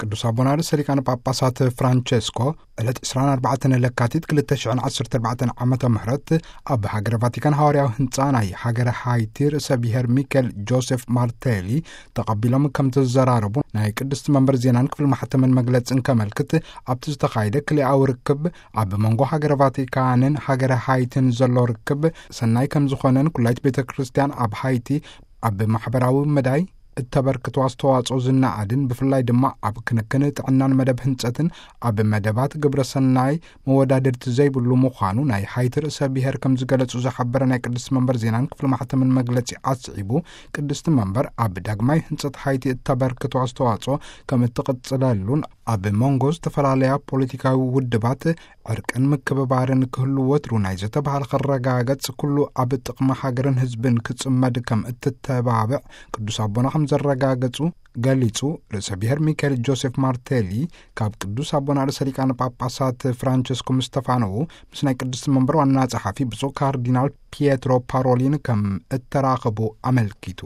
ቅዱስ ኣቦና ርእሰ ሊቃነ ጳጳሳት ፍራንቸስኮ ዕለት ዕስራን ኣርባዕተን ለካቲት ክልተ ሽሕን ዓሰርተ ኣርባዕተን ዓመተ ምህረት ኣብ ሃገረ ቫቲካን ሃዋርያዊ ህንፃ ናይ ሃገረ ሃይቲ ርእሰ ብሔር ሚካኤል ጆሴፍ ማርቴሊ ተቐቢሎም ከም ተዘራረቡ ናይ ቅድስቲ መንበር ዜናን ክፍሊ ማሕተምን መግለጽን ከመልክት፣ ኣብቲ ዝተኻየደ ክልኣዊ ርክብ ኣብ መንጎ ሃገረ ቫቲካንን ሃገረ ሃይትን ዘሎ ርክብ ሰናይ ከም ዝኾነን፣ ኩላይት ቤተ ክርስቲያን ኣብ ሃይቲ ኣብ ማሕበራዊ መዳይ እተበርክቶ ኣስተዋጽኦ ዝነኣድን፣ ብፍላይ ድማ ኣብ ክንክን ጥዕናን መደብ ህንጸትን ኣብ መደባት ግብረ ሰናይ መወዳድርቲ ዘይብሉ ምዃኑ ናይ ሃይቲ ርእሰ ብሔር ከም ዝገለጹ ዝሓበረ ናይ ቅድስቲ መንበር ዜናን ክፍሊ ማሕተምን መግለጺ ኣስዒቡ፣ ቅድስቲ መንበር ኣብ ዳግማይ ህንጸት ሃይቲ እተበርክቶ ኣስተዋጽኦ ከም እትቕጽለሉን፣ ኣብ መንጎ ዝተፈላለያ ፖለቲካዊ ውድባት ዕርቅን ምክብባርን ክህሉ፣ ወትሩ ናይ ዘተ ባህል ክረጋገጽ፣ ኩሉ ኣብ ጥቕሚ ሃገርን ህዝብን ክጽመድ ከም እትተባብዕ ቅዱስ ኣቦና ከም ዘረጋገጹ ገሊጹ። ርእሰ ብሔር ሚካኤል ጆሴፍ ማርቴሊ ካብ ቅዱስ ኣቦና ርእሰ ሊቃነ ጳጳሳት ፍራንቸስኮ ምስ ተፋነዉ፣ ምስ ናይ ቅድስቲ መንበር ዋና ጸሓፊ ብፁዕ ካርዲናል ፒየትሮ ፓሮሊን ከም እተራኸቡ ኣመልኪቱ።